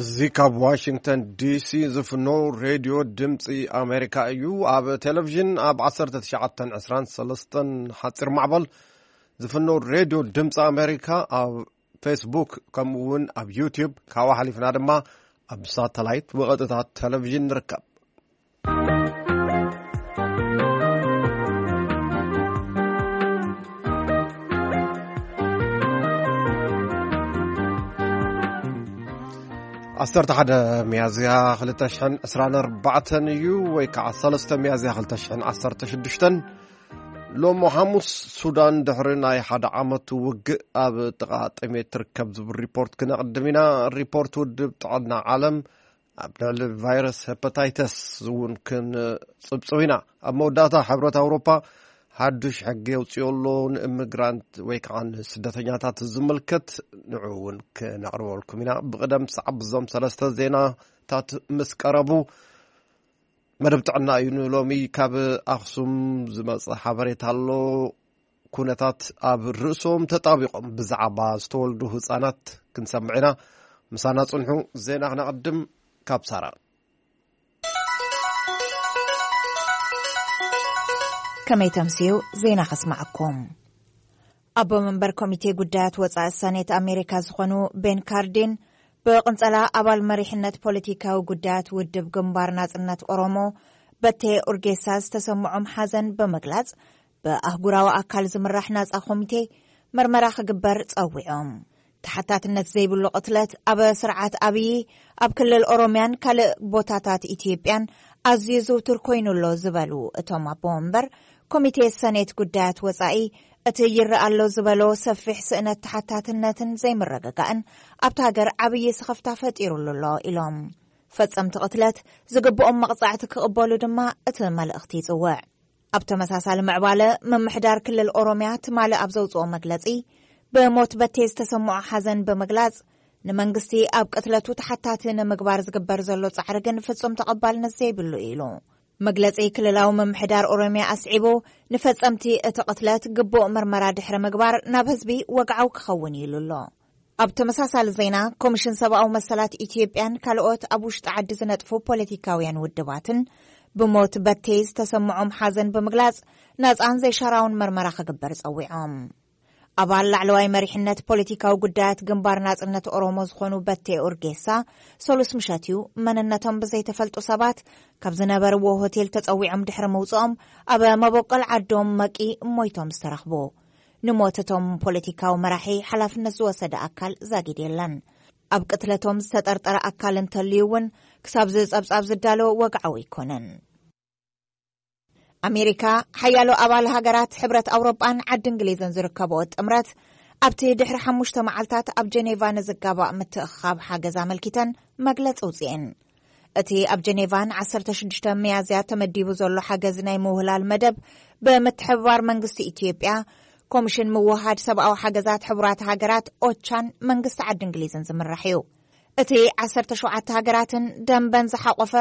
እዚ ካብ ዋሽንግተን ዲሲ ዝፍኖ ሬድዮ ድምፂ ኣሜሪካ እዩ። ኣብ ቴሌቪዥን ኣብ ዓሰርተ ትሽዓተ ዕስራን ሰለስተን ሓፂር ማዕበል ዝፍኖ ሬድዮ ድምፂ ኣሜሪካ፣ ኣብ ፌስቡክ፣ ከምኡ እውን ኣብ ዩቲዩብ፣ ካብኡ ሓሊፍና ድማ ኣብ ሳተላይት ብቐጥታ ቴሌቪዥን ንርከብ። ዓሰርተ ሓደ ሚያዝያ ክልተ ሽሕን ዕስራን ኣርባዕተን እዩ፣ ወይ ከዓ ሰለስተ ሚያዝያ ክልተ ሽሕን ዓሰርተ ሽዱሽተን። ሎሚ ሓሙስ፣ ሱዳን ድሕሪ ናይ ሓደ ዓመት ውግእ ኣብ ጥቓ ጥሜት ትርከብ ዝብል ሪፖርት ክነቕድም ኢና። ሪፖርት ውድብ ጥዕና ዓለም ኣብ ልዕሊ ቫይረስ ሄፓታይተስ እውን ክንጽብጽብ ኢና። ኣብ መወዳእታ፣ ሕብረት ኣውሮፓ ሓዱሽ ሕጊ የውፅኦ ኣሎ፣ ንእምግራንት ወይ ከዓ ንስደተኛታት ዝምልከት። ንዑ እውን ክነቕርበልኩም ኢና። ብቕደም ሰዓብ እዞም ሰለስተ ዜናታት ምስ ቀረቡ፣ መደብ ጥዕና እዩ ንሎሚ። ካብ ኣኽሱም ዝመጸ ሓበሬታ ኣሎ። ኩነታት ኣብ ርእሶም ተጣቢቖም ብዛዕባ ዝተወልዱ ህጻናት ክንሰምዕ ኢና። ምሳና ጽንሑ። ዜና ክነቐድም ካብ ሳራ። ከመይ ተምስዩ? ዜና ከስማዓኩም። ኣቦ መንበር ኮሚቴ ጉዳያት ወጻኢ ሰኔት ኣሜሪካ ዝኾኑ ቤን ካርዲን፣ ብቕንጸላ ኣባል መሪሕነት ፖለቲካዊ ጉዳያት ውድብ ግንባር ናጽነት ኦሮሞ በቴ ኡርጌሳ ዝተሰምዖም ሓዘን ብምግላጽ፣ ብኣህጉራዊ ኣካል ዝምራሕ ናጻ ኮሚቴ መርመራ ክግበር ጸዊዖም። ተሓታትነት ዘይብሉ ቅትለት ኣብ ስርዓት ኣብዪ ኣብ ክልል ኦሮምያን ካልእ ቦታታት ኢትዮጵያን ኣዝዩ ዝውቱር ኮይኑ ኣሎ ዝበሉ እቶም ኣቦ መንበር፣ ኮሚቴ ሰኔት ጉዳያት ወጻኢ እቲ ይረኣ ኣሎ ዝበሎ ሰፊሕ ስእነት ተሓታትነትን ዘይምርግጋእን ኣብታ ሃገር ዓብዪ ስኽፍታ ፈጢሩሉ ኣሎ ኢሎም። ፈጸምቲ ቅትለት ዝግብኦም መቕጻዕቲ ክቕበሉ ድማ እቲ መልእኽቲ ይጽውዕ። ኣብ ተመሳሳሊ ምዕባለ፣ ምምሕዳር ክልል ኦሮምያ ትማሊ ኣብ ዘውጽኦ መግለጺ፣ ብሞት በቴ ዝተሰምዖ ሓዘን ብምግላጽ፣ ንመንግስቲ ኣብ ቅትለቱ ተሓታቲ ንምግባር ዝግበር ዘሎ ጻዕሪ ግን ፍጹም ተቐባልነት ዘይብሉ እዩ ኢሉ። መግለጺ ክልላዊ ምምሕዳር ኦሮምያ ኣስዒቡ፣ ንፈጸምቲ እቲ ቅትለት ግቡእ ምርመራ ድሕሪ ምግባር ናብ ህዝቢ ወግዓዊ ክኸውን እዩ ኢሉ ኣሎ። ኣብ ተመሳሳሊ ዜና፣ ኮሚሽን ሰብኣዊ መሰላት ኢትዮጵያን ካልኦት ኣብ ውሽጢ ዓዲ ዝነጥፉ ፖለቲካውያን ውድባትን ብሞት በቴ ዝተሰምዖም ሓዘን ብምግላጽ፣ ናጻን ዘይሻራውን መርመራ ክግበር ጸዊዖም። ኣባል ላዕለዋይ መሪሕነት ፖለቲካዊ ጉዳያት ግንባር ናጽነት ኦሮሞ ዝኾኑ በቴ ኡርጌሳ፣ ሰሉስ ምሸት እዩ መንነቶም ብዘይተፈልጡ ሰባት ካብ ዝነበርዎ ሆቴል ተጸዊዖም ድሕሪ ምውጽኦም፣ ኣብ መበቆል ዓዶም መቂ ሞይቶም ዝተረኽቡ። ንሞት እቶም ፖለቲካዊ መራሒ ሓላፍነት ዝወሰደ ኣካል ዛጊድ የለን። ኣብ ቅትለቶም ዝተጠርጠረ ኣካል እንተልዩ እውን፣ ክሳብ ዝጸብጻብ ዝዳሎ ወግዓዊ ኣይኮነን። ኣሜሪካ፣ ሓያሎ ኣባል ሃገራት ሕብረት ኣውሮጳን ዓዲ እንግሊዝን ዝርከብኦ ጥምረት፣ ኣብቲ ድሕሪ ሓሙሽተ መዓልታት ኣብ ጀኔቫ ንዝጋባእ ምትእኽኻብ ሓገዝ ኣመልኪተን መግለጺ ኣውጺኤን። እቲ ኣብ ጀኔቫ ን ዓሰርተ ሽዱሽተ ሚያዝያ ተመዲቡ ዘሎ ሓገዝ ናይ ምውህላል መደብ፣ ብምትሕብባር መንግስቲ ኢትዮጵያ፣ ኮሚሽን ምውሃድ ሰብኣዊ ሓገዛት ሕቡራት ሃገራት፣ ኦቻን መንግስቲ ዓዲ እንግሊዝን ዝምራሕ እዩ። እቲ ዓሰርተ ሸውዓተ ሃገራትን ደንበን ዝሓቖፈ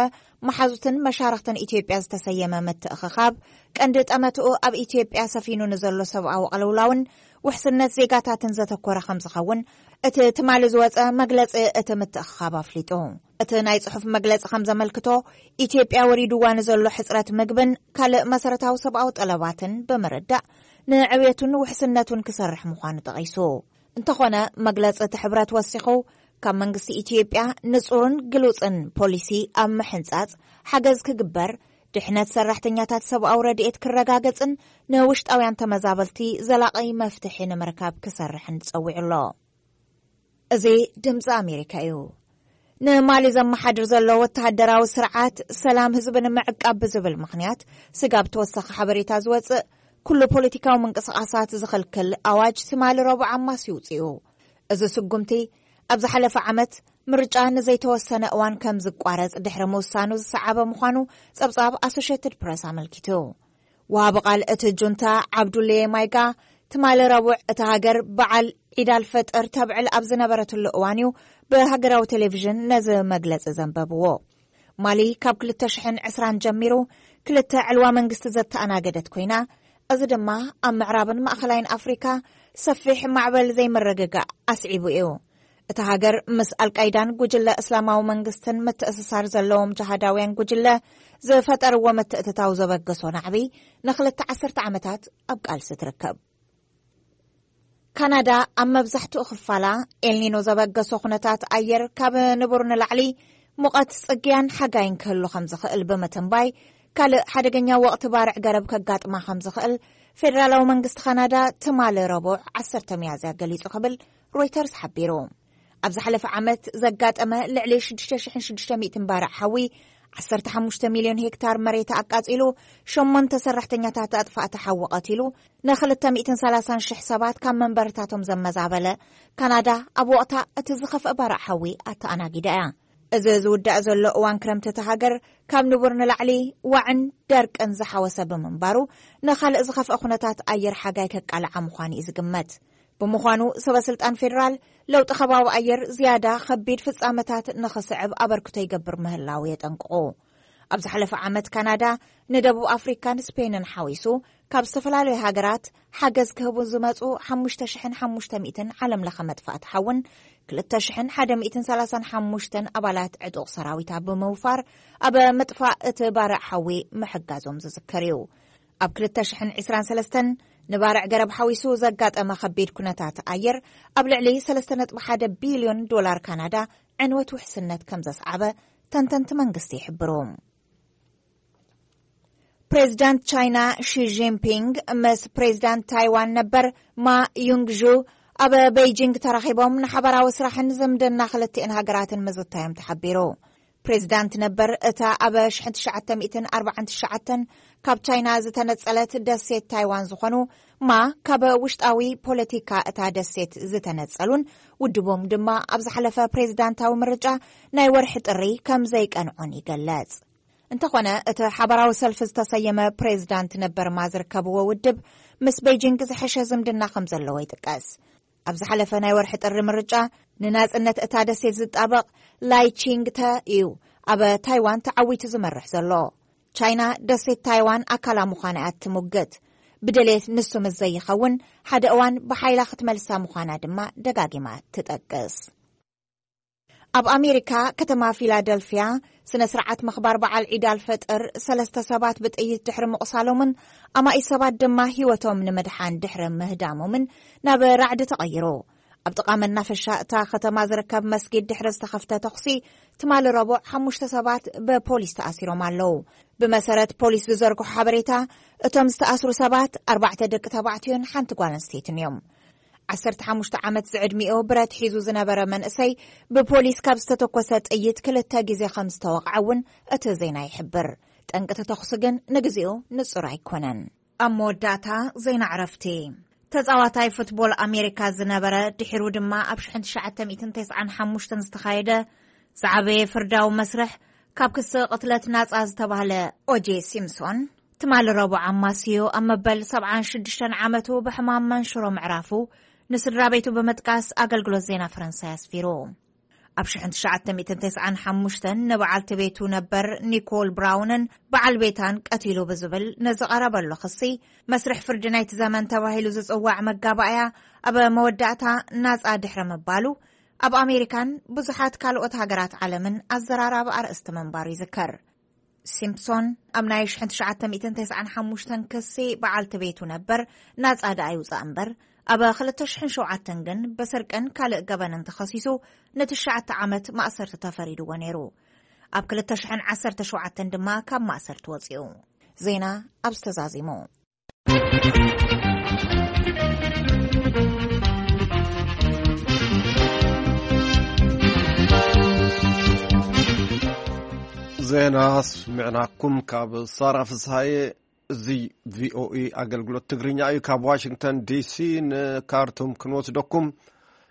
መሓዙትን መሻርኽትን ኢትዮጵያ ዝተሰየመ ምትእኽኻብ፣ ቀንዲ ጠመትኡ ኣብ ኢትዮጵያ ሰፊኑ ንዘሎ ሰብኣዊ ቅልውላውን ውሕስነት ዜጋታትን ዘተኮረ ከም ዝኸውን፣ እቲ ትማሊ ዝወጸ መግለጺ እቲ ምትእኽኻብ ኣፍሊጡ። እቲ ናይ ጽሑፍ መግለጺ ከም ዘመልክቶ፣ ኢትዮጵያ ወሪድዋ ንዘሎ ሕጽረት ምግብን ካልእ መሰረታዊ ሰብኣዊ ጠለባትን ብምርዳእ፣ ንዕብየቱን ውሕስነቱን ክሰርሕ ምዃኑ ጠቒሱ። እንተኾነ፣ መግለጺ እቲ ሕብረት ወሲኹ፣ ካብ መንግስቲ ኢትዮጵያ ንጹርን ግሉጽን ፖሊሲ ኣብ ምሕንጻጽ ሓገዝ ክግበር፣ ድሕነት ሰራሕተኛታት ሰብኣዊ ረድኤት ክረጋገጽን ንውሽጣውያን ተመዛበልቲ ዘላቒ መፍትሒ ንምርካብ ክሰርሕን ጸዊዑ ኣሎ። እዚ ድምጺ ኣሜሪካ እዩ። ንማሊ ዘመሓድር ዘሎ ወተሃደራዊ ስርዓት፣ ሰላም ህዝቢ ንምዕቃብ ብዝብል ምኽንያት፣ ስጋብ ተወሳኺ ሓበሬታ ዝወጽእ፣ ኩሉ ፖለቲካዊ ምንቅስቓሳት ዝኽልክል ኣዋጅ ትማሊ ረቡዕ ኣማስዩ ውጽኡ። እዚ ስጉምቲ፣ ኣብ ዝሓለፈ ዓመት ምርጫ ንዘይተወሰነ እዋን ከም ዝቋረጽ ድሕሪ ምውሳኑ ዝሰዓበ ምዃኑ ጸብጻብ ኣሶሼትድ ፕረስ ኣመልኪቱ። ወሃቢ ቃል እቲ ጁንታ ዓብዱሌ ማይጋ፣ ትማሊ ረቡዕ፣ እታ ሃገር በዓል ዒድ ኣልፈጥር ተብዕል ኣብ ዝነበረትሉ እዋን እዩ ብሃገራዊ ቴሌቪዥን ነዚ መግለጺ ዘንበብዎ። ማሊ ካብ ክልተ ሽሕን ዕስራን ጀሚሩ ክልተ ዕልዋ መንግስቲ ዘተኣናገደት ኮይና፣ እዚ ድማ ኣብ ምዕራብን ማእኸላይን ኣፍሪካ ሰፊሕ ማዕበል ዘይምርግጋእ ኣስዒቡ እዩ። እታ ሃገር ምስ ኣልቃይዳን ጉጅለ እስላማዊ መንግስትን ምትእስሳር ዘለዎም ጅሃዳውያን ጉጅለ ዝፈጠርዎ ምትእትታው ዘበገሶ ናዕቢ ንኽልተ ዓሰርተ ዓመታት ኣብ ቃልሲ ትርከብ። ካናዳ ኣብ መብዛሕትኡ ክፋላ ኤልኒኖ ዘበገሶ ኩነታት ኣየር ካብ ንቡር ንላዕሊ ሙቐት ጽግያን ሓጋይን ክህሉ ከም ዝኽእል ብምትንባይ፣ ካልእ ሓደገኛ ወቕቲ ባርዕ ገረብ ከጋጥማ ከም ዝኽእል ፌደራላዊ መንግስቲ ካናዳ ትማሊ ረቡዕ ዓሰርተ ሚያዝያ ገሊጹ ክብል ሮይተርስ ሓቢሩ። ኣብ ዝሓለፈ ዓመት ዘጋጠመ ልዕሊ ሽዱሽተ ሽሕን ሽዱሽተ ሚእትን ባርዕ ሓዊ ዓሰርተ ሓሙሽተ ሚልዮን ሄክታር መሬት ኣቃጺሉ፣ ሸሞንተ ሰራሕተኛታት ኣጥፋእቲ ሓዊ ቀቲሉ፣ ንክልተ ሚእትን ሰላሳን ሽሕ ሰባት ካብ መንበርታቶም ዘመዛበለ ካናዳ፣ ኣብ ወቕታ እቲ ዝኸፍአ ባርዕ ሓዊ ኣተኣናጊዳ እያ። እዚ ዝውዳእ ዘሎ እዋን ክረምቲ እታ ሃገር ካብ ንቡር ንላዕሊ ዋዕን ደርቅን ዝሓወሰ ብምንባሩ፣ ንኻልእ ዝኸፍአ ኩነታት ኣየር ሓጋይ ከቃልዓ ምዃኑ እዩ ዝግመት። ብምዃኑ፣ ሰበ ስልጣን ፌደራል ለውጢ ከባቢ ኣየር ዝያዳ ከቢድ ፍጻመታት ንኽስዕብ ኣበርክቶ ይገብር ምህላው የጠንቅቑ። ኣብ ዝሓለፈ ዓመት ካናዳ ንደቡብ ኣፍሪካን ስፔንን ሓዊሱ ካብ ዝተፈላለዩ ሃገራት ሓገዝ ክህቡ ዝመጹ ሓሙሽተ ሽሕን ሓሙሽተ ሚእትን ዓለም ለኸ መጥፋእቲ ሓውን ክልተ ሽሕን ሓደ ሚእትን ሰላሳን ሓሙሽተን ኣባላት ዕጡቕ ሰራዊታ ብምውፋር ኣብ ምጥፋእ እቲ ባርዕ ሓዊ ምሕጋዞም ዝዝከር እዩ። ኣብ ክልተ ሽሕን ዕስራን ሰለስተን ንባርዕ ገረብ ሓዊሱ ዘጋጠመ ከቢድ ኩነታት ኣየር ኣብ ልዕሊ ሰለስተ ነጥቢ ሓደ ቢልዮን ዶላር ካናዳ ዕንወት ውሕስነት ከም ዘስዓበ ተንተንቲ መንግስቲ ይሕብሩ። ፕሬዚዳንት ቻይና ሺ ጂንፒንግ ምስ ፕሬዚዳንት ታይዋን ነበር ማ ዩንግዡ ኣብ ቤይጂንግ ተራኺቦም ንሓበራዊ ስራሕን ዝምድና ክልቲኤን ሃገራትን ምዝታዮም ተሓቢሩ። ፕሬዚዳንት ነበር እታ ኣብ ሽሕን ትሽዓተ ሚእትን ኣርባዓን ትሽዓተን ካብ ቻይና ዝተነጸለት ደሴት ታይዋን ዝኾኑ ማ፣ ካብ ውሽጣዊ ፖለቲካ እታ ደሴት ዝተነጸሉን ውድቦም ድማ ኣብ ዝሓለፈ ፕሬዚዳንታዊ ምርጫ ናይ ወርሒ ጥሪ ከም ዘይቀንዖን ይገለጽ። እንተኾነ፣ እቲ ሓበራዊ ሰልፊ ዝተሰየመ ፕሬዚዳንት ነበር ማ ዝርከብዎ ውድብ ምስ ቤጂንግ ዝሐሸ ዝምድና ከም ዘለዎ ይጥቀስ። ኣብ ዝሓለፈ ናይ ወርሒ ጥሪ ምርጫ ንናጽነት እታ ደሴት ዝጣበቕ ላይ ቺንግ ተ እዩ ኣብ ታይዋን ተዓዊቱ ዝመርሕ ዘሎ። ቻይና ደሴት ታይዋን ኣካላ ምዃና እያ ትሙግት። ብድሌት ንሱ ምስ ዘይኸውን ሓደ እዋን ብሓይላ ክትመልሳ ምዃና ድማ ደጋጊማ ትጠቅስ። ኣብ ኣሜሪካ ከተማ ፊላደልፊያ ስነ ስርዓት ምኽባር በዓል ዒድ ኣልፈጥር ሰለስተ ሰባት ብጥይት ድሕሪ ምቑሳሎምን ኣማኢት ሰባት ድማ ህይወቶም ንምድሓን ድሕሪ ምህዳሞምን ናብ ራዕዲ ተቐይሩ። ኣብ ጥቓ መናፈሻ እታ ከተማ ዝርከብ መስጊድ ድሕሪ ዝተኸፍተ ተኹሲ ትማሊ ረቡዕ ሓሙሽተ ሰባት ብፖሊስ ተኣሲሮም ኣለዉ። ብመሰረት ፖሊስ ዝዘርግሖ ሓበሬታ፣ እቶም ዝተኣስሩ ሰባት ኣርባዕተ ደቂ ተባዕትዮን ሓንቲ ጓል ኣንስተይትን እዮም። ዓሰርተ ሓሙሽተ ዓመት ዝዕድሚኡ ብረት ሒዙ ዝነበረ መንእሰይ ብፖሊስ ካብ ዝተተኮሰ ጥይት ክልተ ግዜ ከም ዝተወቕዐ እውን እቲ ዜና ይሕብር። ጠንቂ እቲ ተኹሲ ግን ንግዜኡ ንጹር ኣይኮነን። ኣብ መወዳእታ ዜና ዕረፍቲ። ተጻዋታይ ፉትቦል ኣሜሪካ ዝነበረ፣ ድሒሩ ድማ ኣብ ሽሕን ትሽዓተ ሚእትን ተስዓን ሓሙሽተን ዝተኻየደ ዝዓበየ ፍርዳዊ መስርሕ ካብ ክሲ ቅትለት ናጻ ዝተባህለ ኦጄ ሲምሶን፣ ትማሊ ረቡዕ ኣማስዮ ኣብ መበል ሰብዓን ሽዱሽተን ዓመቱ ብሕማም መንሽሮ ምዕራፉ ንስድራ ቤቱ ብምጥቃስ ኣገልግሎት ዜና ፈረንሳይ ኣስፊሩ። ኣብ ሽሕን ትሽዓተ ሚእትን ተስዓን ሓሙሽተን ንበዓልቲ ቤቱ ነበር ኒኮል ብራውንን በዓል ቤታን ቀቲሉ ብዝብል ንዝቐረበሉ ክሲ፣ መስርሕ ፍርዲ ናይቲ ዘመን ተባሂሉ ዝጽዋዕ መጋባእያ ኣብ መወዳእታ ናጻ ድሕሪ ምባሉ፣ ኣብ ኣሜሪካን ብዙሓት ካልኦት ሃገራት ዓለምን ኣዘራራቢ ኣርእስቲ ምንባሩ ይዝከር። ሲምፕሶን ኣብ ናይ ሽሕን ትሽዓተ ሚእትን ተስዓን ሓሙሽተን ክሲ በዓልቲ ቤቱ ነበር ናጻ ደኣ ይውጻእ እምበር፣ ኣብ ክልተ ሽሕን ሸውዓተን ግን ብስርቅን ካልእ ገበንን ተኸሲሱ ንትሽዓተ ዓመት ማእሰርቲ ተፈሪድዎ ነይሩ። ኣብ ክልተ ሽሕን ዓሰርተ ሸውዓተን ድማ ካብ ማእሰርቲ ወጺኡ። ዜና ኣብ ዝተዛዚሙ። ዜና ስምዕናኩም ካብ ሳራ ፍስሃየ። እዚ ቪኦኢ ኣገልግሎት ትግርኛ እዩ። ካብ ዋሽንግተን ዲሲ ንካርቱም ክንወስደኩም።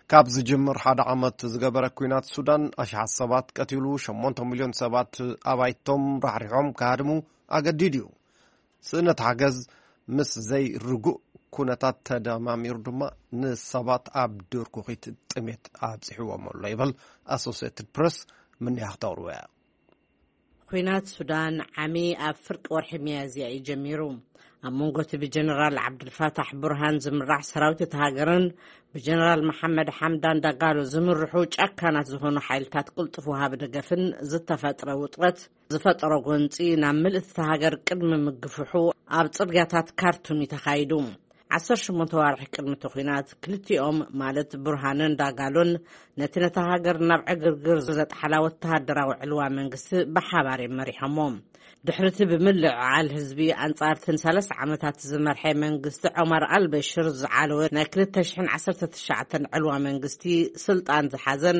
ካብ ዝጅምር ሓደ ዓመት ዝገበረ ኲናት ሱዳን ኣሽሓት ሰባት ቀቲሉ፣ ሸሞንተ ሚልዮን ሰባት ኣባይቶም ራሕሪሖም ክሃድሙ ኣገዲዱ እዩ። ስእነት ሓገዝ ምስ ዘይርጉእ ኩነታት ተደማሚሩ ድማ ንሰባት ኣብ ድርኩኺት ጥሜት ኣብፂሕዎም ኣሎ ይብል ኣሶሴትድ ፕረስ። ምንያ ክተቕርቦ እያ። ኲናት ሱዳን ዓሚ ኣብ ፍርቂ ወርሒ ሚያዝያ እዩ ጀሚሩ። ኣብ መንጎ እቲ ብጀነራል ዓብዱልፋታሕ ቡርሃን ዝምራሕ ሰራዊት እቲ ሃገርን ብጀነራል መሓመድ ሓምዳን ዳጋሎ ዝምርሑ ጨካናት ዝኾኑ ሓይልታት ቅልጡፍ ወሃቢ ደገፍን ዝተፈጥረ ውጥረት ዝፈጠሮ ጎንፂ ናብ ምልእቲ እታ ሃገር ቅድሚ ምግፍሑ ኣብ ፅርግያታት ካርቱም እዩ ተኻይዱ። ዓሰርተ ሸሞንተ ዋርሒ ቅድሚ እቲ ኲናት ክልቲኦም ማለት ቡርሃንን ዳጋሎን ነቲ ነታ ሃገር ናብ ዕግርግር ዘጥሓላ ወተሃደራዊ ዕልዋ መንግስቲ ብሓባር እዮም መሪሖሞ። ድሕሪ እቲ ብምልዕዓል ህዝቢ ኣንጻር እተን ሰለስተ ዓመታት ዝመርሐ መንግስቲ ዖማር ኣልበሽር ዝዓለወ ናይ ክልተ ሽሕን ዓሰርተ ትሽዓተን ዕልዋ መንግስቲ ስልጣን ዝሓዘን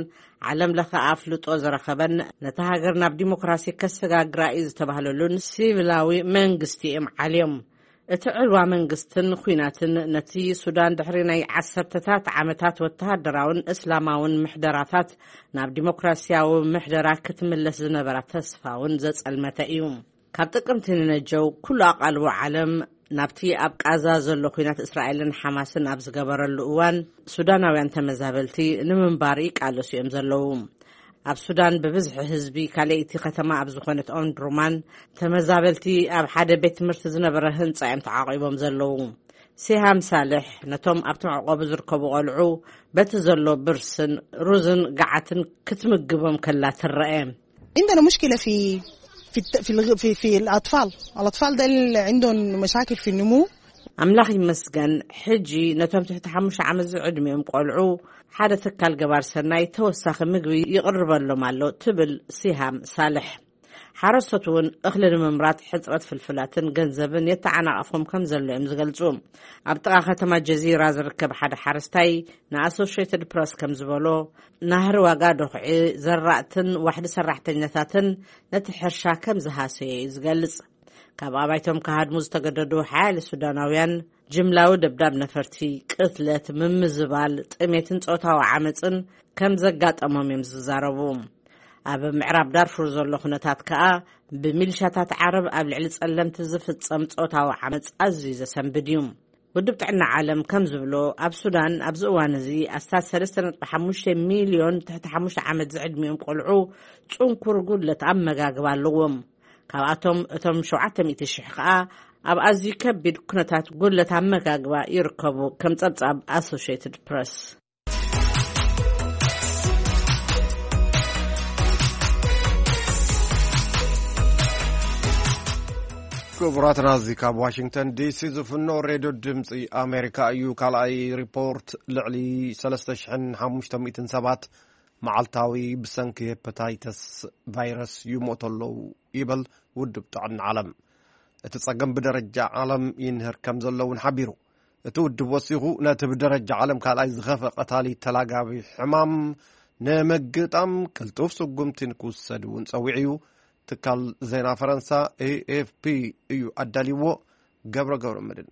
ዓለም ለኸ ኣፍልጦ ዝረኸበን ነታ ሃገር ናብ ዲሞክራሲ ከሰጋግራ እዩ ዝተባህለሉን ሲቪላዊ መንግስቲ እዮም ዓልዮም። እቲ ዕልዋ መንግስትን ኲናትን ነቲ ሱዳን ድሕሪ ናይ ዓሰርተታት ዓመታት ወተሃደራውን እስላማውን ምሕደራታት ናብ ዲሞክራሲያዊ ምሕደራ ክትምለስ ዝነበራ ተስፋ እውን ዘጸልመተ እዩ። ካብ ጥቅምቲ ንነጀው ኩሉ ኣቓልቦ ዓለም ናብቲ ኣብ ቃዛ ዘሎ ኲናት እስራኤልን ሓማስን ኣብ ዝገበረሉ እዋን ሱዳናውያን ተመዛበልቲ ንምንባር ይቃለሱ እዮም ዘለዉ። ኣብ ሱዳን ብብዝሒ ህዝቢ ካልኣይቲ ከተማ ኣብ ዝኾነት ኦምድሩማን ተመዛበልቲ ኣብ ሓደ ቤት ትምህርቲ ዝነበረ ህንጻ እዮም ተዓቒቦም ዘለዉ። ሲሃም ሳልሕ ነቶም ኣብቲ መዕቆቢ ዝርከቡ ቆልዑ በቲ ዘሎ ብርስን ሩዝን ገዓትን ክትምግቦም ከላ ትረአ። عندنا مشكلة في في الت- في الغ- في في الأطفال. الأطفال ده اللي عندهم مشاكل في النمو. ኣምላኽ ይመስገን፣ ሕጂ ነቶም ትሕቲ ሓሙሽተ ዓመት ዝዕድሚኦም ቆልዑ ሓደ ትካል ገባር ሰናይ ተወሳኺ ምግቢ ይቕርበሎም ኣሎ፣ ትብል ሲሃም ሳልሕ። ሓረስቶት እውን እኽሊ ንምምራት ሕፅረት ፍልፍላትን ገንዘብን የተዓናቐፎም ከም ዘሎ እዮም ዝገልፁ። ኣብ ጥቓ ከተማ ጀዚራ ዝርከብ ሓደ ሓረስታይ ንኣሶሽየትድ ፕረስ ከም ዝበሎ፣ ናህሪ ዋጋ ዶኽዒ ዘራእትን ዋሕዲ ሰራሕተኛታትን ነቲ ሕርሻ ከም ዝሃሰየ እዩ ዝገልጽ። ካብ ኣባይቶም ክሃድሙ ዝተገደዱ ሓያለ ሱዳናውያን ጅምላዊ ደብዳብ ነፈርቲ፣ ቅትለት፣ ምምዝባል፣ ጥሜትን ጾታዊ ዓመጽን ከም ዘጋጠሞም እዮም ዝዛረቡ። ኣብ ምዕራብ ዳርፉር ዘሎ ኩነታት ከኣ ብሚሊሻታት ዓረብ ኣብ ልዕሊ ጸለምቲ ዝፍጸም ጾታዊ ዓመጽ ኣዝዩ ዘሰንብድ እዩ። ውድብ ጥዕና ዓለም ከም ዝብሎ፣ ኣብ ሱዳን ኣብዚ እዋን እዚ ኣስታት ሰለስተ ነጥቢ ሓሙሽተ ሚልዮን ትሕቲ ሓሙሽተ ዓመት ዝዕድሚኦም ቆልዑ ጽንኩር ጉድለት ኣመጋግባ ኣለዎም። ካብኣቶም እቶም ሸውዓተ ሚእቲ ሽሕ ከኣ ኣብ ኣዝዩ ከቢድ ኩነታት ጉድለት ኣመጋግባ ይርከቡ፣ ከም ጸብጻብ ኣሶሽየትድ ፕረስ። ክቡራትና፣ እዚ ካብ ዋሽንግተን ዲሲ ዝፍኖ ሬድዮ ድምፂ ኣሜሪካ እዩ። ካልኣይ ሪፖርት፣ ልዕሊ ሰለስተ ሽሕን ሓሙሽተ ሚእትን ሰባት መዓልታዊ ብሰንኪ ሄፐታይተስ ቫይረስ ይሞቱ ኣለዉ ይበል ውድብ ጥዕና ዓለም። እቲ ጸገም ብደረጃ ዓለም ይንህር ከም ዘሎ እውን ሓቢሩ። እቲ ውድብ ወሲኹ፣ ነቲ ብደረጃ ዓለም ካልኣይ ዝኸፍአ ቀታሊ ተላጋቢ ሕማም ንምግጣም ቅልጡፍ ስጉምቲ ንክውሰድ እውን ጸዊዑ እዩ። ትካል ዜና ፈረንሳ ኤ ኤፍ ፒ እዩ ኣዳልይዎ። ገብረ ገብረ መድን።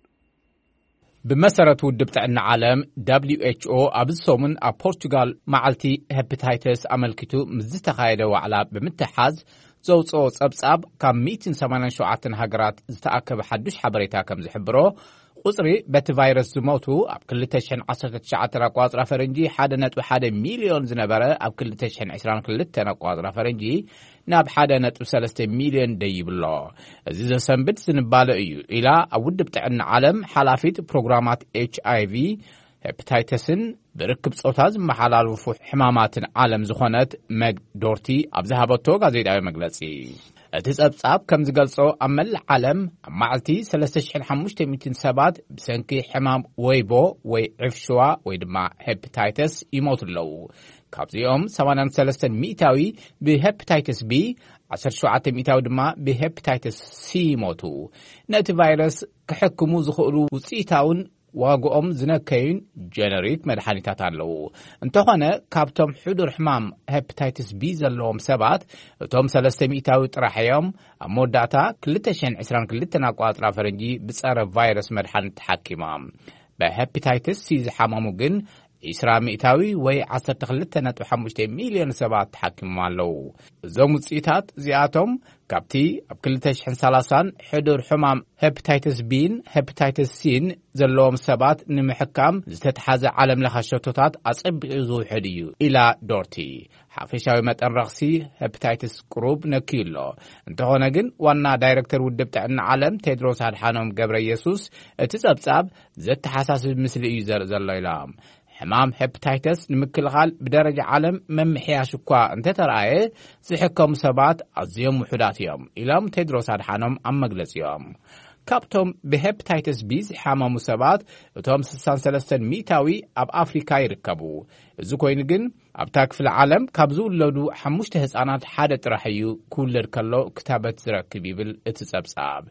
ብመሰረት ውድብ ጥዕና ዓለም ደብሊው ኤች ኦ፣ ኣብዚ ሰሙን ኣብ ፖርቹጋል መዓልቲ ሄፓታይተስ ኣመልኪቱ ምስ ዝተኻየደ ዋዕላ ብምትሓዝ ዘውፅኦ ጸብጻብ፣ ካብ ሚእትን ሰማንያን ሸውዓተን ሃገራት ዝተኣከበ ሓዱሽ ሓበሬታ ከም ዝሕብሮ፣ ቁጽሪ በቲ ቫይረስ ዝሞቱ ኣብ ክልተ ሽሕን ዓሰርተ ትሽዓተን ኣቋጽራ ፈረንጂ ሓደ ነጥቢ ሓደ ሚልዮን ዝነበረ፣ ኣብ ክልተ ሽሕን ዕስራን ክልተን ኣቋጽራ ፈረንጂ ናብ ሓደ ነጥቢ ሰለስተ ሚልዮን ደይብሎ። እዚ ዘሰንብድ ዝንባለ እዩ ኢላ ኣብ ውድብ ጥዕና ዓለም ሓላፊት ፕሮግራማት ኤች ኣይ ቪ፣ ሄፓታይተስን ብርክብ ጾታ ዝመሓላለፉ ሕማማትን ዓለም ዝኾነት መግ ዶርቲ ኣብ ዝሃበቶ ጋዜጣዊ መግለጺ። እቲ ጸብጻብ ከም ዝገልጾ፣ ኣብ መላእ ዓለም ኣብ መዓልቲ ሰለስተ ሽሕን ሓሙሽተ ሚእትን ሰባት ብሰንኪ ሕማም ወይቦ ወይ ዕፍሽዋ ወይ ድማ ሄፓታይተስ ይሞቱ ኣለዉ። ካብዚኦም ሰማንያን ሰለስተን ሚእታዊ ብሄፓታይተስ ቢ፣ ዓሰርተ ሸውዓተ ሚእታዊ ድማ ብሄፓታይተስ ሲ ይሞቱ። ነቲ ቫይረስ ክሕክሙ ዝኽእሉ ውጽኢታውን ዋግኦም ዝነከዩን ጀነሪክ መድሓኒታት ኣለዉ። እንተኾነ፣ ካብቶም ሕዱር ሕማም ሄፓታይትስ ቢ ዘለዎም ሰባት፣ እቶም ሰለስተ ሚእታዊ ጥራሕ እዮም ኣብ መወዳእታ ክልተ ሽሕን ዕስራን ክልተን ኣቋጽራ ፈረንጂ ብጸረ ቫይረስ መድሓኒት ተሓኪሞም። ብሄፓታይትስ ሲ ዝሓመሙ ግን ዒስራ ሚእታዊ ወይ ዓሰርተ ክልተ ነጥቢ ሓሙሽተ ሚልዮን ሰባት ተሓኪሞም ኣለዉ። እዞም ውጽኢታት እዚኣቶም ካብቲ ኣብ ክልተ ሽሕን ሰላሳን ሕዱር ሕማም ሄፕታይተስ ቢን ሄፕታይተስ ሲን ዘለዎም ሰባት ንምሕካም ዝተትሓዘ ዓለም ለኸ ሸቶታት ኣጸቢቑ ዝውሕድ እዩ ኢላ ዶርቲ። ሓፈሻዊ መጠን ረኽሲ ሄፕታይተስ ቅሩብ ነክዩ ኣሎ። እንተኾነ ግን ዋና ዳይረክተር ውድብ ጥዕና ዓለም ቴድሮስ ኣድሓኖም ገብረ ኢየሱስ እቲ ጸብጻብ ዘተሓሳስብ ምስሊ እዩ ዘርኢ ዘሎ ኢሎም። ሕማም ሄፕታይተስ ንምክልኻል ብደረጃ ዓለም መምሕያሽ እኳ እንተተረኣየ፣ ዝሕከሙ ሰባት ኣዝዮም ውሑዳት እዮም ኢሎም ቴድሮስ ኣድሓኖም ኣብ መግለጺኦም። ካብቶም ብሄፕታይተስ ቢ ዝሓመሙ ሰባት እቶም ስሳን ሰለስተን ሚእታዊ ኣብ ኣፍሪካ ይርከቡ። እዚ ኮይኑ ግን ኣብታ ክፍለ ዓለም ካብ ዝውለዱ ሓሙሽተ ህጻናት ሓደ ጥራሕ እዩ ክውለድ ከሎ ክታበት ዝረክብ ይብል እቲ ጸብጻብ።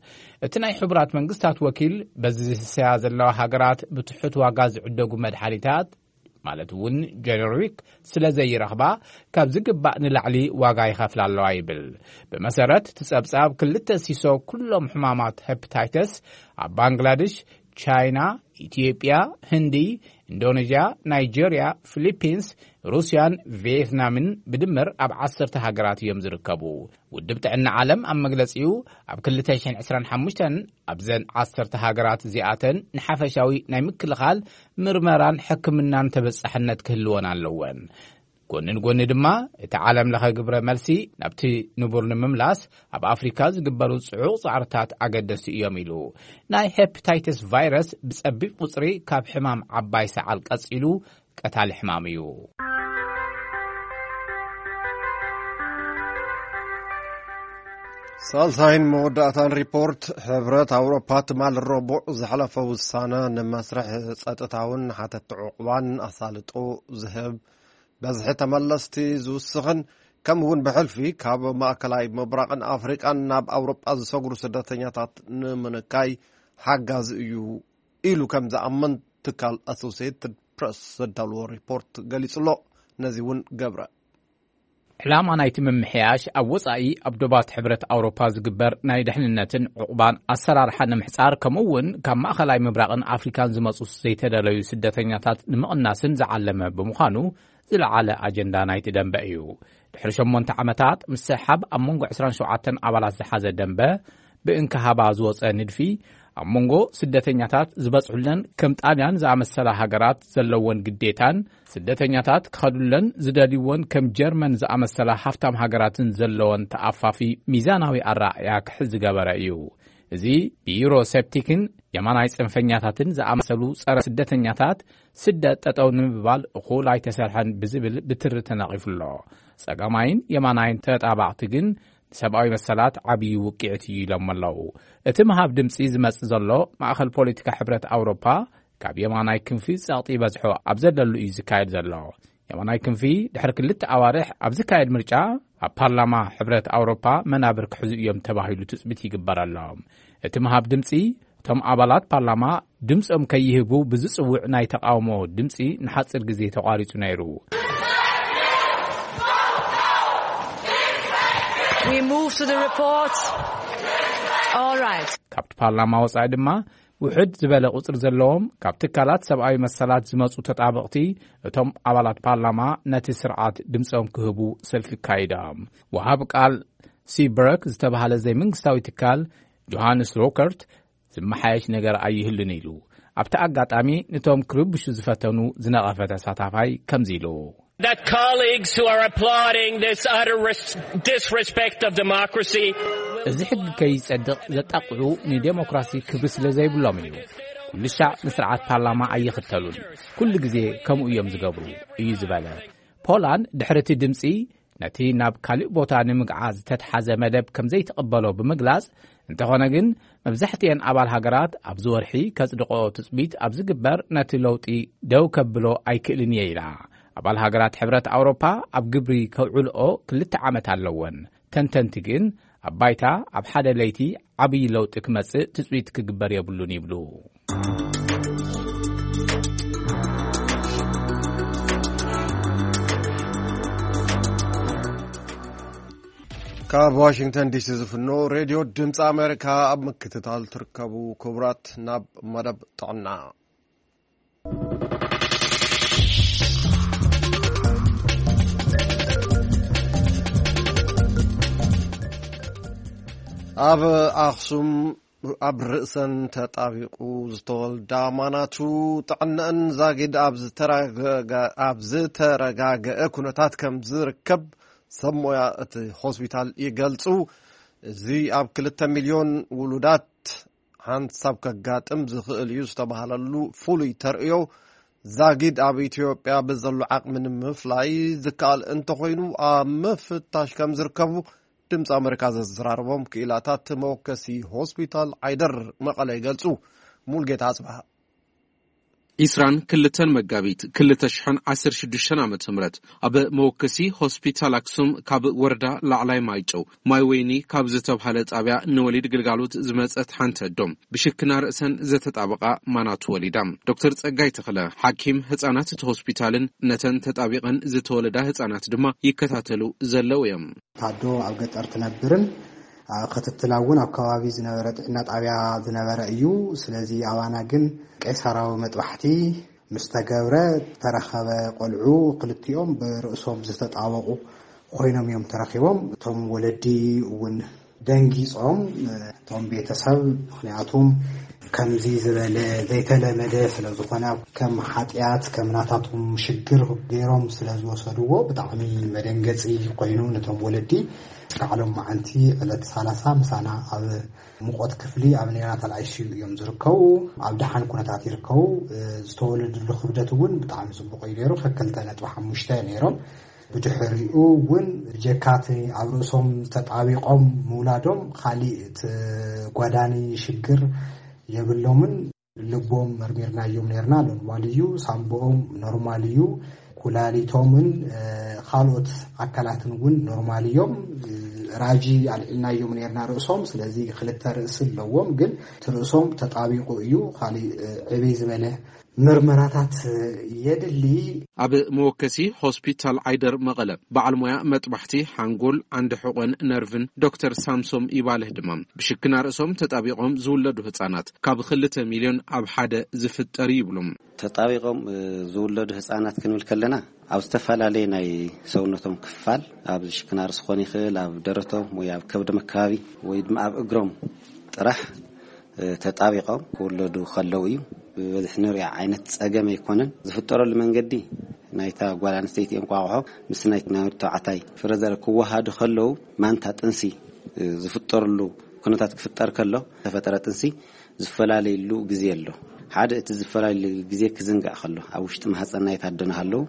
እቲ ናይ ሕቡራት መንግስታት ወኪል በዚ ዝህሰያ ዘለዋ ሃገራት ብትሑት ዋጋ ዝዕደጉ መድሓኒታት ማለት እውን ጀነሪክ ስለ ዘይረኽባ ካብ ዝግባእ ንላዕሊ ዋጋ ይኸፍላ ኣለዋ ይብል። ብመሰረት እቲ ጸብጻብ ክልተ ሲሶ ኩሎም ሕማማት ሄፕታይተስ ኣብ ባንግላደሽ፣ ቻይና፣ ኢትዮጵያ፣ ህንዲ፣ ኢንዶኔዥያ፣ ናይጀርያ፣ ፊሊፒንስ፣ ሩስያን ቪየትናምን ብድምር ኣብ ዓሰርተ ሃገራት እዮም ዝርከቡ። ውድብ ጥዕና ዓለም ኣብ መግለጺኡ ኣብ ክልተ ሽሕን ዕስራን ሓሙሽተን ኣብዘን ዓሰርተ ሃገራት እዚኣተን ንሓፈሻዊ ናይ ምክልኻል ምርመራን ሕክምናን ተበጻሕነት ክህልወን ኣለወን። ጎኒ ንጎኒ ድማ እቲ ዓለም ለኸ ግብረ መልሲ ናብቲ ንቡር ንምምላስ ኣብ ኣፍሪካ ዝግበሩ ጽዑቕ ጻዕርታት ኣገደስቲ እዮም ኢሉ። ናይ ሄፕታይተስ ቫይረስ ብጸቢብ ቁጽሪ ካብ ሕማም ዓባይ ሰዓል ቀጺሉ ቀታሊ ሕማም እዩ። ሳልሳይን መወዳእታን ሪፖርት ሕብረት ኣውሮፓ ትማል ረቡዕ ዘሕለፈ ውሳነ ንመስርሕ ጸጥታውን ሓተቲ ዕቑባን ኣሳልጦ ዝህብ፣ በዝሒ ተመለስቲ ዝውስኽን ከምኡ እውን ብሕልፊ ካብ ማእከላይ ምብራቕን ኣፍሪቃን ናብ ኣውሮጳ ዝሰግሩ ስደተኛታት ንምንካይ ሓጋዚ እዩ ኢሉ ከም ዝኣምን ትካል ኣሶሲየትድ ፕረስ ዘዳልዎ ሪፖርት ገሊጹ ኣሎ። ነዚ እውን ገብረ ዕላማ ናይቲ ምምሕያሽ ኣብ ወጻኢ ኣብ ዶባት ሕብረት ኣውሮፓ ዝግበር ናይ ድሕንነትን ዕቑባን ኣሰራርሓ ንምሕጻር፣ ከምኡ እውን ካብ ማእኸላይ ምብራቕን ኣፍሪካን ዝመጹ ዘይተደለዩ ስደተኛታት ንምቕናስን ዝዓለመ ብምዃኑ ዝለዓለ ኣጀንዳ ናይቲ ደንበ እዩ። ድሕሪ ሸሞንተ ዓመታት ምስሕሓብ ኣብ መንጎ ዕስራን ሸውዓተን ኣባላት ዝሓዘ ደንበ ብእንክሃባ ዝወጸ ንድፊ ኣብ መንጎ ስደተኛታት ዝበጽሑለን ከም ጣልያን ዝኣመሰላ ሃገራት ዘለወን ግዴታን ስደተኛታት ክኸዱለን ዝደልይዎን ከም ጀርመን ዝኣመሰላ ሃፍታም ሃገራትን ዘለወን ተኣፋፊ ሚዛናዊ ኣረኣእያ ክሕዝ ዝገበረ እዩ። እዚ ብዩሮ ሴፕቲክን የማናይ ጽንፈኛታትን ዝኣመሰሉ ጸረ ስደተኛታት ስደት ጠጠው ንምባል እኹል ኣይተሰርሐን ብዝብል ብትሪ ተነቒፉ ኣሎ። ጸጋማይን የማናይን ተጣባቕቲ ግን ንሰብኣዊ መሰላት ዓብዪ ውቅዒት እዩ ኢሎም ኣለዉ። እቲ ምሃብ ድምፂ ዝመጽእ ዘሎ ማእኸል ፖለቲካ ሕብረት ኣውሮፓ ካብ የማናይ ክንፊ ጸቕጢ በዝሖ ኣብ ዘለሉ እዩ ዝካየድ ዘሎ። የማናይ ክንፊ ድሕሪ ክልተ ኣዋርሕ ኣብ ዝካየድ ምርጫ ኣብ ፓርላማ ሕብረት ኣውሮፓ መናብር ክሕዙ እዮም ተባሂሉ ትጽቢት ይግበረሎም። እቲ ምሃብ ድምፂ እቶም ኣባላት ፓርላማ ድምፆም ከይህቡ ብዝፅውዕ ናይ ተቃውሞ ድምፂ ንሓፂር ግዜ ተቋሪፁ ነይሩ። We move to the report. All right. ካብቲ ፓርላማ ወፃኢ ድማ ውሕድ ዝበለ ቁፅሪ ዘለዎም ካብ ትካላት ሰብኣዊ መሰላት ዝመፁ ተጣበቕቲ እቶም ኣባላት ፓርላማ ነቲ ስርዓት ድምፆም ክህቡ ሰልፊ ኣካይዶም። ወሃብ ቃል ሲበርክ ዝተባህለ ዘይመንግስታዊ ትካል ጆሃንስ ሮከርት ዝመሓየሽ ነገር ኣይህሉን ኢሉ ኣብቲ ኣጋጣሚ ነቶም ክርብሹ ዝፈተኑ ዝነቐፈ ተሳታፋይ ከምዚ ኢሉ። That colleagues who are applauding this utter res- disrespect of democracy. እዚ ሕጊ ከይጸድቕ ዘጣቕዑ ንዴሞክራሲ ክብሪ ስለ ዘይብሎም እዩ። ኩሉ ሻዕ ንስርዓት ፓርላማ ኣይኽተሉን። ኩሉ ግዜ ከምኡ እዮም ዝገብሩ እዩ ዝበለ። ፖላንድ ድሕሪ እቲ ድምጺ ነቲ ናብ ካልእ ቦታ ንምግዓዝ ዝተትሓዘ መደብ ከም ዘይትቕበሎ ብምግላጽ፣ እንተኾነ ግን መብዛሕትኤን ኣባል ሃገራት ኣብዚ ወርሒ ከጽድቆ ትጽቢት ኣብ ዝግበር ነቲ ለውጢ ደው ከብሎ ኣይክእልን እየ ኢላ። ኣባል ሃገራት ሕብረት ኣውሮፓ ኣብ ግብሪ ከውዕልኦ ክልተ ዓመት ኣለወን። ተንተንቲ ግን ኣብ ባይታ ኣብ ሓደ ለይቲ ዓብዪ ለውጢ ክመጽእ ትጽቢት ክግበር የብሉን ይብሉ። ካብ ዋሽንግተን ዲሲ ዝፍኖ ሬድዮ ድምፂ ኣሜሪካ ኣብ ምክትታል ትርከቡ ክቡራት፣ ናብ መደብ ጥዕና። ኣብ ኣኽሱም ኣብ ርእሰን ተጣቢቑ ዝተወልዳ ማናቱ ጥዕነአን ዛጊድ ኣብ ዝተረጋገ-፣ ኣብ ዝተረጋገአ ኩነታት ከም ዝርከብ ሰብ ሞያ እቲ ሆስፒታል ይገልጹ። እዚ ኣብ ክልተ ሚልዮን ውሉዳት ሓንሳብ ከጋጥም ዝኽእል እዩ ዝተባህለሉ ፍሉይ ተርእዮ ዛጊድ ኣብ ኢትዮጵያ ብዘሎ ዓቕሚ ንምፍላይ ዝከኣል እንተኾይኑ ኣብ ምፍታሽ ከም ዝርከቡ ድምፂ ኣመሪካ ዘዘራረቦም ክኢላታት መወከሲ ሆስፒታል ዓይደር መቐለ ይገልጹ። ሙልጌታ ኣጽብሃ። ዒስራን ክልተን መጋቢት ክልተ ሽሕን ዓሰርተ ሽዱሽተን ዓመተ ምህረት ኣብ መወከሲ ሆስፒታል ኣክሱም ካብ ወረዳ ላዕላይ ማይጨው ማይ ወይኒ ካብ ዝተብሃለ ጣብያ ንወሊድ ግልጋሎት ዝመጸት ሓንቲ ኣዶ ብሽክና ርእሰን ዘተጣበቓ ማናቱ ወሊዳ። ዶክተር ጸጋይ ተኽለ ሓኪም ህጻናት እቲ ሆስፒታልን ነተን ተጣቢቐን ዝተወለዳ ህጻናት ድማ ይከታተሉ ዘለዉ እዮም። ታዶ ኣብ ገጠር ትነብርን ኣብ ክትትላ እውን ኣብ ከባቢ ዝነበረ ጥዕና ጣብያ ዝነበረ እዩ። ስለዚ ኣባና ግን ቀይሳራዊ መጥባሕቲ ምስ ተገብረ ተረኸበ ቆልዑ ክልቲኦም ብርእሶም ዝተጣበቑ ኮይኖም እዮም ተረኺቦም። እቶም ወለዲ እውን ደንጊጾም፣ እቶም ቤተሰብ፣ ምኽንያቱም ከምዚ ዝበለ ዘይተለመደ ስለ ዝኾነ ከም ሓጢኣት ከም ናታቶም ሽግር ገይሮም ስለ ዝወሰድዎ ብጣዕሚ መደንገጺ ኮይኑ ነቶም ወለዲ። እስካዕ ሎም መዓንቲ ዕለት ሰላሳ ምሳና ኣብ ሙቆት ክፍሊ ኣብ ኔናታል ኣይሲዩ እዮም ዝርከቡ። ኣብ ደሓን ኩነታት ይርከቡ። ዝተወለድሉ ክብደት እውን ብጣዕሚ ጽቡቕ እዩ ነይሩ። ከክልተ ነጥቢ ሓሙሽተ ነይሮም። ብድሕሪኡ እውን ጀካቲ ኣብ ርእሶም ተጣቢቆም ምውላዶም ካሊእ ተጓዳኒ ሽግር የብሎምን። ልቦም መርሚርናዮም ነርና፣ ኖርማል እዩ። ሳምቦኦም ኖርማል እዩ። ኩላሊቶምን ካልኦት ኣካላትን እውን ኖርማል እዮም። ራጂ ኣልዒልናዮም ነርና ርእሶም። ስለዚ ክልተ ርእሲ ኣለዎም፣ ግን እቲ ርእሶም ተጣቢቁ እዩ። ካሊእ ዕብይ ዝበለ ምርመራታት የድሊ። ኣብ መወከሲ ሆስፒታል ዓይደር መቐለ በዓል ሞያ መጥባሕቲ ሓንጎል፣ ዓንዲ ሕቆን ነርቭን ዶክተር ሳምሶም ይባልህ ድማ ብሽክና ርእሶም ተጣቢቆም ዝውለዱ ህጻናት ካብ ክልተ ሚልዮን ኣብ ሓደ ዝፍጠር ይብሉ። ተጣቢቆም ዝውለዱ ህጻናት ክንብል ከለና ኣብ ዝተፈላለየ ናይ ሰውነቶም ክፋል ኣብ ሽክና ርእሲ ክኾን ይኽእል፣ ኣብ ደረቶም ወይ ኣብ ከብዶም ኣካባቢ ወይ ድማ ኣብ እግሮም ጥራሕ ተጣቢቆም ክውለዱ ከለው እዩ። ብበዝሒ ንሪኦ ዓይነት ጸገም ኣይኮነን። ዝፍጠረሉ መንገዲ ናይታ ጓል ኣንስተይቲ እንቋቑሖ ምስ ናይ ናይ ወዲ ተባዕታይ ፍረ ዘር ክወሃዱ ከለው ማንታ ጥንሲ ዝፍጠረሉ ኩነታት ክፍጠር ከሎ ተፈጠረ ጥንሲ ዝፈላለየሉ ግዜ ኣሎ። ሓደ እቲ ዝፈላለየሉ ግዜ ክዝንጋዕ ከሎ ኣብ ውሽጢ ማህፀን ናይታ ኣደና ከለው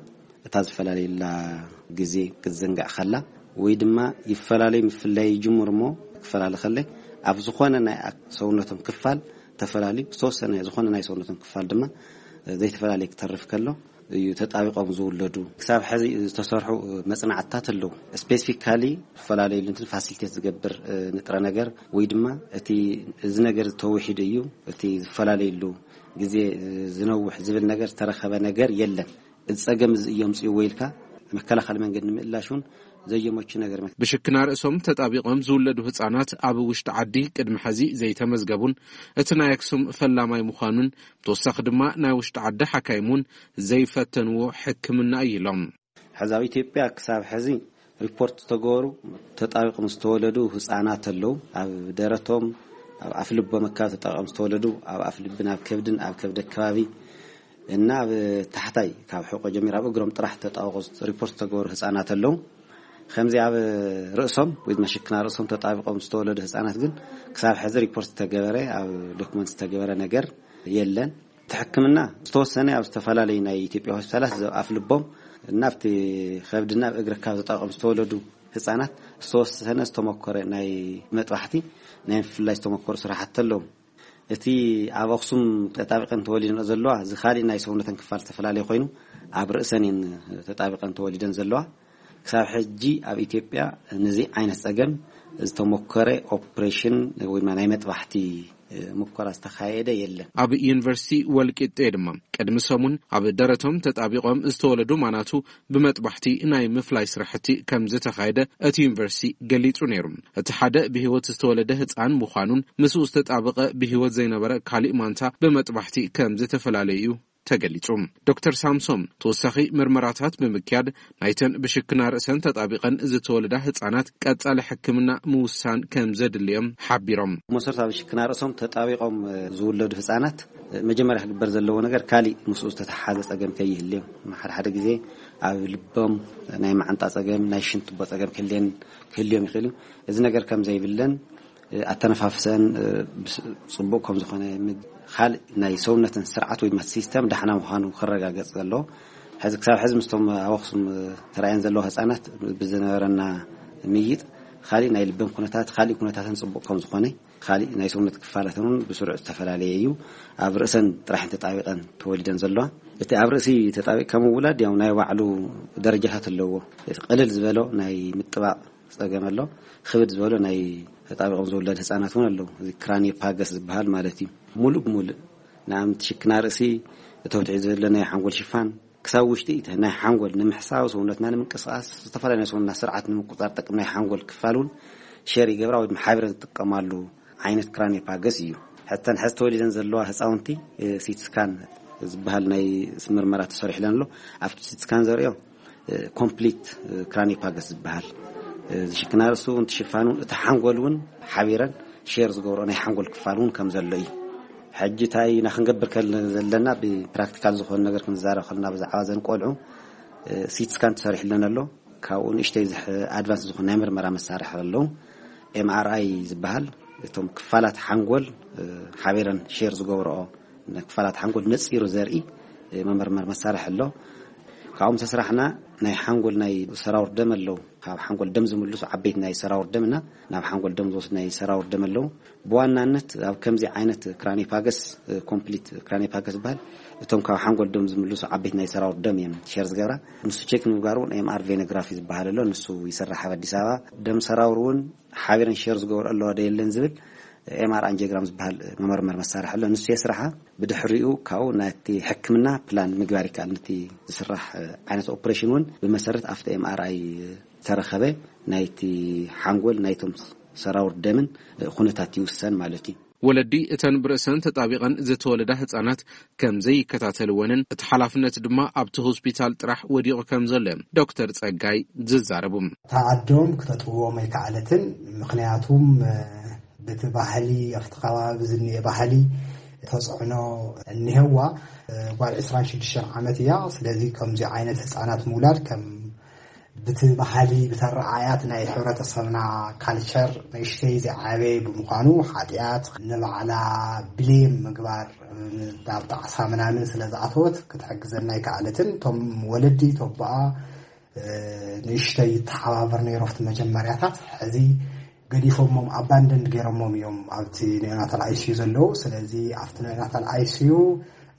እታ ዝፈላለየላ ግዜ ክትዝንጋዕ ከላ ወይ ድማ ይፈላለይ ምፍላይ ይጅምር እሞ ክፈላለ ከለ ኣብ ዝኾነ ናይ ኣክ- ሰውነቶም ክፋል ተፈላለዩ ዝተወሰነ ዝኾነ ናይ ሰውነቶም ክፋል ድማ ዘይተፈላለየ ክተርፍ ከሎ እዩ ተጣቢቆም ዝውለዱ። ክሳብ ሕዚ ዝተሰርሑ መጽናዕትታት ኣለዉ። ስፔሲፊካሊ ዝፈላለየሉ እንትን ፋሲሊቴት ዝገብር ንጥረ ነገር ወይ ድማ እቲ እዚ ነገር ተውሒዱ እዩ እቲ ዝፈላለየሉ ግዜ ዝነውሕ ዝብል ነገር ዝተረኸበ ነገር የለን። እዚ ጸገም እዚ እዮም ጽእዎ ኢልካ መከላኸሊ መንገዲ ንምእላሽ እውን ዘየመቹ ነገር። ብሽክና ርእሶም ተጣቢቆም ዝውለዱ ህጻናት ኣብ ውሽጢ ዓዲ ቅድሚ ሕዚ ዘይተመዝገቡን እቲ ናይ ኣክሱም ፈላማይ ምዃኑን ብተወሳኺ ድማ ናይ ውሽጢ ዓዲ ሓካይም እውን ዘይፈተንዎ ሕክምና እዩ ኢሎም። ሕዚ ኣብ ኢትዮጵያ ክሳብ ሕዚ ሪፖርት ዝተገበሩ ተጣቢቆም ዝተወለዱ ህጻናት ኣለዉ። ኣብ ደረቶም ኣብ ኣፍልቦም ኣካባቢ ተጣቢቆም ዝተወለዱ ኣብ ኣፍልብን ኣብ ከብድን ኣብ ከብዲ ኣካባቢ እና ኣብ ታሕታይ ካብ ሕቆ ጀሚር ኣብ እግሮም ጥራሕ ተጣብቆ ሪፖርት ዝተገበሩ ህጻናት ኣለዉ። ከምዚ ኣብ ርእሶም ወይ ድማ ሽክና ርእሶም ተጣቢቆም ዝተወለዱ ህጻናት ግን ክሳብ ሕዚ ሪፖርት ዝተገበረ ኣብ ዶክመንት ዝተገበረ ነገር የለን። እቲ ሕክምና ዝተወሰነ ኣብ ዝተፈላለዩ ናይ ኢትዮጵያ ሆስፒታላት ኣብ ኣፍ ልቦም እና ኣብቲ ከብድና ኣብ እግሪ ካብ ተጣቢቆም ዝተወለዱ ህጻናት ዝተወሰነ ዝተሞከረ ናይ መጥባሕቲ ናይ ምፍላይ ዝተሞከሩ ስራሕቲ ኣለዉ። እቲ ኣብ ኣኽሱም ተጣቢቀን ተወሊደን ዘለዋ እዚ ካሊእ ናይ ሰውነተን ክፋል ዝተፈላለየ ኮይኑ ኣብ ርእሰን እየን ተጣቢቀን ተወሊደን ዘለዋ። ክሳብ ሕጂ ኣብ ኢትዮጵያ ንዚ ዓይነት ጸገም ዝተሞከረ ኦፕሬሽን ወይ ናይ መጥባሕቲ ሙከራ ዝተኻየደ የለን። ኣብ ዩኒቨርሲቲ ወልቂጤ ድማ ቅድሚ ሰሙን ኣብ ደረቶም ተጣቢቆም ዝተወለዱ ማናቱ ብመጥባሕቲ ናይ ምፍላይ ስራሕቲ ከም ዝተኻየደ እቲ ዩኒቨርሲቲ ገሊጹ ነይሩ። እቲ ሓደ ብህይወት ዝተወለደ ህጻን ምዃኑን ምስኡ ዝተጣበቐ ብህይወት ዘይነበረ ካሊእ ማንታ ብመጥባሕቲ ከም ዝተፈላለየ እዩ ተገሊጹ። ዶክተር ሳምሶም ተወሳኺ ምርመራታት ብምክያድ ናይተን ብሽክና ርእሰን ተጣቢቐን ዝተወለዳ ህጻናት ቀጻሊ ሕክምና ምውሳን ከም ዘድልዮም ሓቢሮም። መሰረት ኣብ ሽክና ርእሶም ተጣቢቖም ዝውለዱ ህጻናት መጀመርያ ክግበር ዘለዎ ነገር ካሊእ ምስኡ ዝተተሓሓዘ ጸገም ከይህልዮም። ሓደ ሓደ ግዜ ኣብ ልቦም ናይ መዓንጣ ጸገም፣ ናይ ሽንትቦ ጸገም ክህልየን ክህልዮም ይኽእል እዩ። እዚ ነገር ከም ዘይብለን ኣተነፋፍሰን ጽቡቕ ከም ዝኾነ፣ ካልእ ናይ ሰውነትን ስርዓት ወይ ድማ ሲስተም ዳሕና ምዃኑ ክረጋገጽ ዘለዎ። ሕዚ ክሳብ ሕዚ ምስቶም ኣብ ኣኽሱም ተራእየን ዘለዋ ህጻናት ብዝነበረና ምይጥ፣ ካልእ ናይ ልበን ኩነታት፣ ካልእ ኩነታተን ጽቡቕ ከም ዝኾነ፣ ካልእ ናይ ሰውነት ክፋላተን እውን ብስሩዕ ዝተፈላለየ እዩ። ኣብ ርእሰን ጥራሕ ተጣቢቐን ተወሊደን ዘለዋ። እቲ ኣብ ርእሲ ተጣቢቕካ ምውላድ ያው ናይ ባዕሉ ደረጃታት ኣለዎ። እቲ ቅልል ዝበሎ ናይ ምጥባቕ ጸገም ኣሎ። ክብድ ዝበሎ ናይ ተጣቢቖም ዝውለድ ህጻናት እውን ኣለዉ። እዚ ክራኒዮፓገስ ዝበሃል ማለት እዩ። ሙሉእ ብሙሉእ ንኣብነት ሽክና ርእሲ እቶም ትሒዙ ዘሎ ናይ ሓንጎል ሽፋን ክሳብ ውሽጢ እቲ ናይ ሓንጎል ንምሕሳው ሰውነትና ንምንቅስቃስ ዝተፈላለዩ ናይ ሰውነትና ስርዓት ንምቁጻር ጠቅም ናይ ሓንጎል ክፋል እውን ሼር ይገብራ ወይ ድማ ሓቢረ ዝጥቀማሉ ዓይነት ክራኒዮፓገስ እዩ። ሕተን ሕዚ ተወሊደን ዘለዋ ህፃውንቲ ሲትስካን ዝበሃል ናይ ምርመራ ተሰሪሕለን ኣሎ። ኣብቲ ሲትስካን ዘርእዮ ኮምፕሊት ክራኒዮፓገስ ዝበሃል ዝሽክና ርእሱ እንትሽፋኑ እቲ ሓንጎል እውን ሓቢረን ሼር ዝገብሮ ናይ ሓንጎል ክፋል እውን ከም ዘሎ እዩ። ሕጂ እንታይ ኢና ክንገብር ከል ዘለና ብፕራክቲካል ዝኾነ ነገር ክንዛረብ ከለና ብዛዕባ ዘን ቆልዑ ሲትስካን ተሰሪሕለን ኣሎ። ካብኡ ንእሽተይ ዝሕ ኣድቫንስ ዝኾነ ናይ ምርመራ መሳርሒ ኣለዉ። ኤምኣርኣይ ዝበሃል እቶም ክፋላት ሓንጎል ሓቢረን ሼር ዝገብርኦ ክፋላት ሓንጎል ነፂሩ ዘርኢ መመርመር መሳርሒ ኣሎ። ካብኦም ተስራሕና ናይ ሓንጎል ናይ ሰራውር ደም ኣለዉ። ካብ ሓንጎል ደም ዝምልሱ ዓበይቲ ናይ ሰራውር ደም እና ናብ ሓንጎል ደም ዝወስድ ናይ ሰራውር ደም ኣለዉ። ብዋናነት ኣብ ከምዚ ዓይነት ክራኒፓገስ ኮምፕሊት ክራኒፓገስ ዝበሃል እቶም ካብ ሓንጎል ደም ዝምልሱ ዓበይቲ ናይ ሰራውር ደም እዮም ሸር ዝገብራ። ንሱ ቼክ ንምግባር እውን ኤምኣር ቬኖግራፊ ዝበሃል ኣሎ። ንሱ ይስራሕ ኣብ ኣዲስ ኣበባ። ደም ሰራውር እውን ሓቢረን ሸር ዝገብሩ ኣለዋ ዶ የለን ዝብል ኤምኣር ኣንጂዮግራም ዝበሃል መመርመር መሳርሒ ኣሎ። ንሱ የስርሓ። ብድሕሪኡ ካብኡ ናቲ ሕክምና ፕላን ምግባር ይከኣል። ነቲ ዝስራሕ ዓይነት ኦፕሬሽን እውን ብመሰረት ኣብቲ ኤምኣርኣይ ዝተረኸበ ናይቲ ሓንጎል ናይቶም ሰራውር ደምን ኩነታት ይውሰን ማለት እዩ። ወለዲ እተን ብርእሰን ተጣቢቐን ዝተወለዳ ህጻናት ከም ዘይከታተልወንን እቲ ሓላፍነት ድማ ኣብቲ ሆስፒታል ጥራሕ ወዲቑ ከም ዘሎ እዮም ዶክተር ጸጋይ ዝዛረቡ። እታ ኣዶም ክተጥብዎም ኣይከኣለትን። ምኽንያቱም ብቲ ባህሊ ኣብቲ ከባቢ ዝኒኤ ባህሊ ተፅዕኖ እኒሀዋ። ጓል ዕስራን ሽዱሽተን ዓመት እያ። ስለዚ ከምዚ ዓይነት ህፃናት ምውላድ ከም ብቲ ባህሊ ብተረዓያት ናይ ሕብረተሰብና ካልቸር ንእሽተይ ዝዓበየ ብምዃኑ ሓጢኣት ንባዕላ ብሌም ምግባር ናብ ጣዕሳ ምናምን ስለ ዝኣተወት ክትሕግዘና ኣይከኣለትን። እቶም ወለዲ ተቦኣ ንእሽተይ ይተሓባበር ነይሩ ኣብቲ መጀመርያታት። ሕዚ ገዲፎሞም ኣባንደንድ ገይሮሞም እዮም ኣብቲ ኔኦናታል ኣይሲዩ ዘለዉ። ስለዚ ኣብቲ ኔኦናታል ኣይሲዩ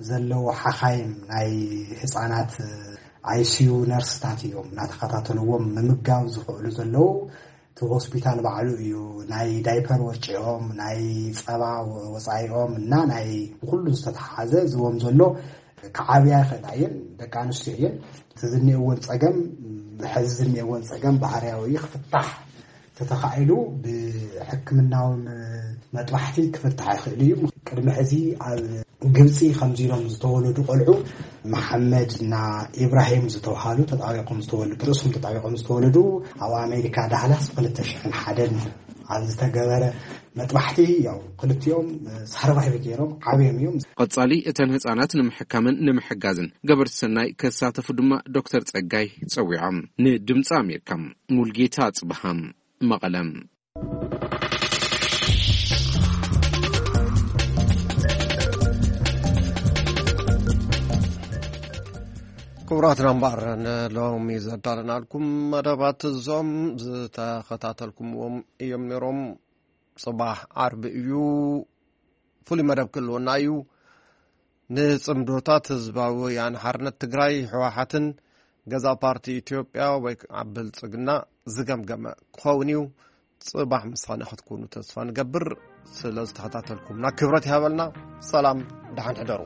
ዘለዉ ሓኻይም ናይ ህፃናት ኣይሲዩ ነርስታት እዮም እናተኸታተልዎም ምምጋብ ዝኽእሉ ዘለዉ። እቲ ሆስፒታል ባዕሉ እዩ ናይ ዳይፐር ወጪኦም ናይ ፀባ ወፃኢኦም እና ናይ ብኩሉ ዝተተሓሓዘ ዝዎም ዘሎ ክዓብያ ይኽእላ እየን። ደቂ ኣንስትዮ እየን። እቲ ዝኒኤወን ፀገም ሕዚ ዝኒኤወን ፀገም ባህርያዊ ክፍታሕ ተተኻኢሉ ብሕክምናዊ መጥባሕቲ ክፍታሕ ይኽእል እዩ። ቅድሚ ሕዚ ኣብ ግብፂ ከምዚ ኢሎም ዝተወለዱ ቆልዑ መሓመድ እና ኢብራሂም ዝተባሃሉ ተጣቢቆም ዝተወለዱ ርእሶም ተጣቢቆም ዝተወለዱ ኣብ ኣሜሪካ ዳህላስ ብክልተ ሽሕን ሓደን ኣብ ዝተገበረ መጥባሕቲ ያው ክልቲኦም ሰርቫይቭ ገይሮም ዓብዮም እዮም። ቀጻሊ እተን ህጻናት ንምሕካምን ንምሕጋዝን ገበርቲ ሰናይ ከሳተፉ ድማ ዶክተር ጸጋይ ጸዊዖም። ንድምፂ ኣሜሪካ ሙልጌታ ጽብሃም መቐለም። ክቡራትና እምበኣር ንሎሚ ዘዳለናልኩም መደባት እዞም ዝተኸታተልኩምዎም እዮም ነይሮም። ጽባሕ ዓርቢ እዩ፣ ፍሉይ መደብ ክህልወና እዩ። ንጽምዶታት ህዝባዊ ወያነ ሓርነት ትግራይ ህወሓትን ገዛ ፓርቲ ኢትዮጵያ ወይ ከዓ ብልጽግና ዝገምገመ ክኸውን እዩ። ጽባሕ ምሳና ክትኮኑ ተስፋ ንገብር። ስለ ዝተኸታተልኩምና ክብረት ይሃበልና። ሰላም፣ ደሓን ሕደሩ።